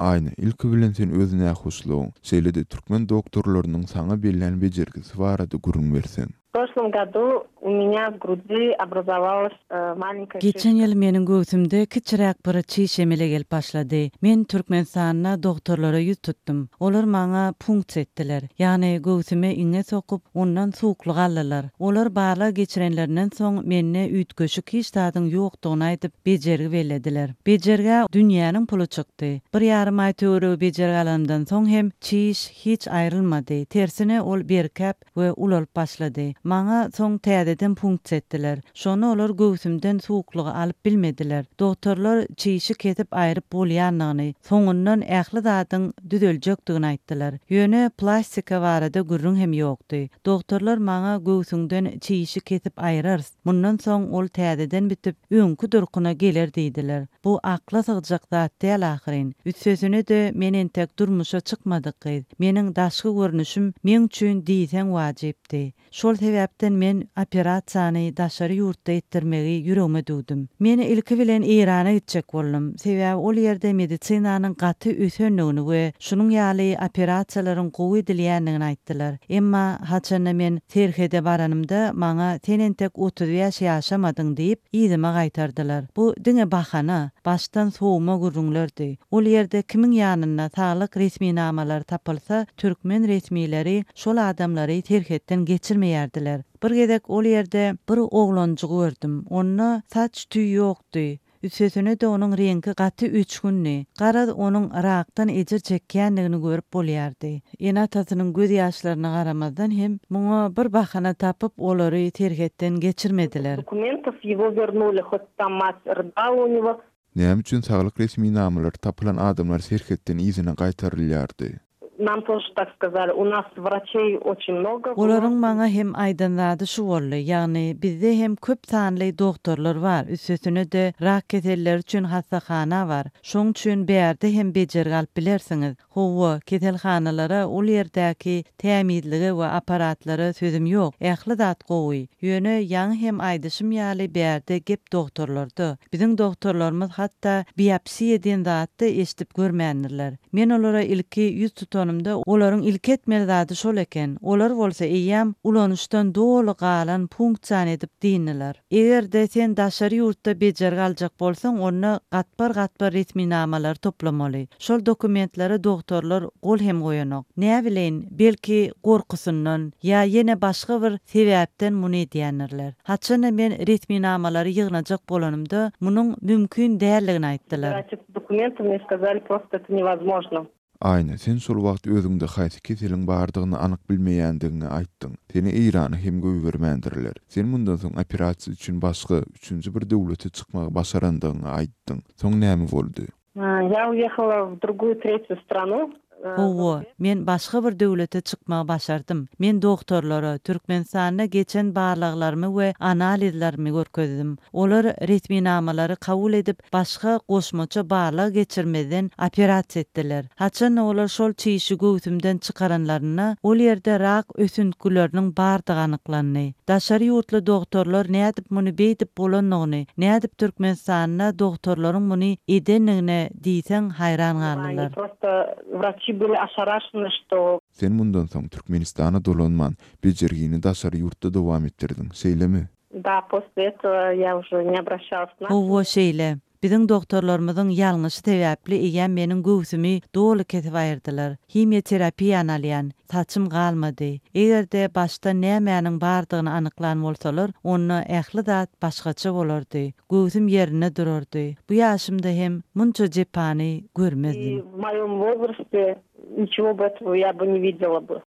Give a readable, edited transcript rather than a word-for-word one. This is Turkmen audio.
Aýna, ilki bilen sen öz nähoşlugyň, şeýle-de türkmen doktorlarynyň saňa bellän bejergisi barada gürrüň berseň. W proşlom godu u menýa w grudi obrazowalась malenkaýa Geçen ýyl meniň göwsümde kiçiräk bir çiş emele gelip başlady. Men Türkmenistanda dogtorlara ýüz tutdum. Olar maňa punksiýa etdiler. Ýagny göwsüme iňňe sokup, ondan suwuklyk aldylar. Olar barlag geçirenlerinden soň mende üýtgeşik hiç zadyň ýokdugyny aýdyp, bejergi bellediler. Bejergä dünýäniň puly çykdy. Bir ýarym aý töweregi bejergi alanymdan soň hem çiş hiç aýrylmady. Tersine ol berkäp we ulalyp başlady. Maňa soň täzeden punksiýa etdiler. Şonda olar göwsümden suwuklygy alyp bilmediler. Dogtorlar çişi kesip aýryp bolýandygyny, soňundan ähli zadyň düzeljekdigini aýtdylar. Ýöne plastika barada gürrüň hem ýokdy. Dogtorlar maňa göwsüňden çişi kesip aýrarys, mundan soň ol täzeden bitip, öňki durkuna geler diýdiler. Bu akla sygjak zat däl ahyryn. Üstesine-de men entek durmuşa çykmadyk gyz. Meniň daşky görnüşim meň üçin diýseň wajypdy. Şol sebäpden men operasiýany daşary ýurtda etdirmegi ýüregime düwdüm. Men ilki bilen Eýrana gitjek boldum. Sebäbi ol ýerde medisinanyň gaty ösendigini we şunuň ýaly operasiýalaryň gowy edilýändigini aýtdylar. Emma haçanda men serhede baranymda maňa sen entek 35 ýaşamadyň diýip, yzyma gaýtardylar. Bu diňe bahana, başdan sowma gürrüňlerdi. Ol ýerde kimiň ýanynda saglyk resminamalary tapylsa, türkmen resmileri şol adamlary serhetden geçirmeýärdiler. Bir gezek ol ýerde bir oglanjygy gördüm. Onda saç tüý ýokdy. Üstesine-de onuň reňki gaty öçgündi. Garaz, onuň rakdan ejir çekýändigini görüp bolýardy. Ene-atasynyň göz ýaşlaryna garamazdan hem, muňa bir bahana tapyp, olary serhetden geçirmediler. Dokumentow ýego wernuli, hot tam mat rydala u nego. Näme üçin saglyk resminamalary tapylan adamlar serhetden yzyna gaýtarylýardy? Nam тоже tak skazali, u nas wraçeý oçin mnogo. Olaryň maňa hem aýdan zady şu boldy, ýagny bizde hem köp sanly dogtorlar bar, üstesine-de rak keselleri üçin hassahana bar, şoň üçin bärde hem bejergi alyp bilersiňiz. Hawa, keselhanalara, ol ýerdäki tämizlige we apparatlara sözüm ýok, ähli zat gowy. Ýöne ýaňy hem aýdyşym ýaly bärde gep dogtorlarda. Biziň dogtorlarymyz hatda biopsiýa diýen zatda eşidip görmändirler. Men olara ilki ýüz tutanymda, olaryň ilki etmeli zady şol eken. Olar bolsa eýýäm ulanyşdan doly galan punksiýany edip dyndylar. Eger-de sen daşary ýurtda bejergi aljak bolsaň, onda gatbar-gatbar resminamalary toplamaly. Şol dokumentlere dogtorlar gol hem goýanok. Näbileýin, belki gorkusyndan ýa ýene başga bir sebäpden muny edýändirler. Haçanda men resminamalary ýygnajak bolanymda, munuň mümkin däldigini aýtdylar. Dokumenty mne skazali prosto eto newozmožno. Aýna, sen şol wagt özüňde haýsy keseliň bardygyny anyk bilmeýändigiňi aýtdyň. Seni Eýrana hem goýbermändirler. Sen mundan soň operasiýa üçin başga, üçünji bir döwlete çykmagy başarandygyňy aýtdyň. Soň näme boldy? Ýa uýehala w druguýu tretýu stranu. Hawa, men başga bir döwlete çykmagy başardym. Men dogtorlara Türkmenistanda geçen barlaglarymy we analizlerimi görkezdim. Olar resminamalary kabul edip, başga goşmaça barlag geçirmezden operasiýa etdiler. Haçan-da olar şol çişi göwsümden çykaranlarynda, ol ýerde rak ösüntgileriniň bardygy anyklandy. Daşary ýurtly dogtorlar nädip muny beýdip bolanyny, nädip Türkmenistanda dogtorlaryň muny edendigine diýseň haýran galdylar. Sen mundan soň Türkmenistana dolanman, bejergini daşary ýurtda dowam etdirdiň, şeýlemi? Hawa, şeýle. Biziň dogtorlarymyzyň ýalňyşy sebäpli eýýäm meniň göwsümi doly kesip aýyrdylar. Himiýaterapiýany alýan. Saçym galmady. Eger-de başda nämäniň bardygyny anyklan bolsalar, onda ähli zat başgaça bolardy. Göwsüm ýerinde durardy. Bu ýaşymda hem munça jepany görmezdim. I w moýom wozraste niçego by этого ýa by ne widela by.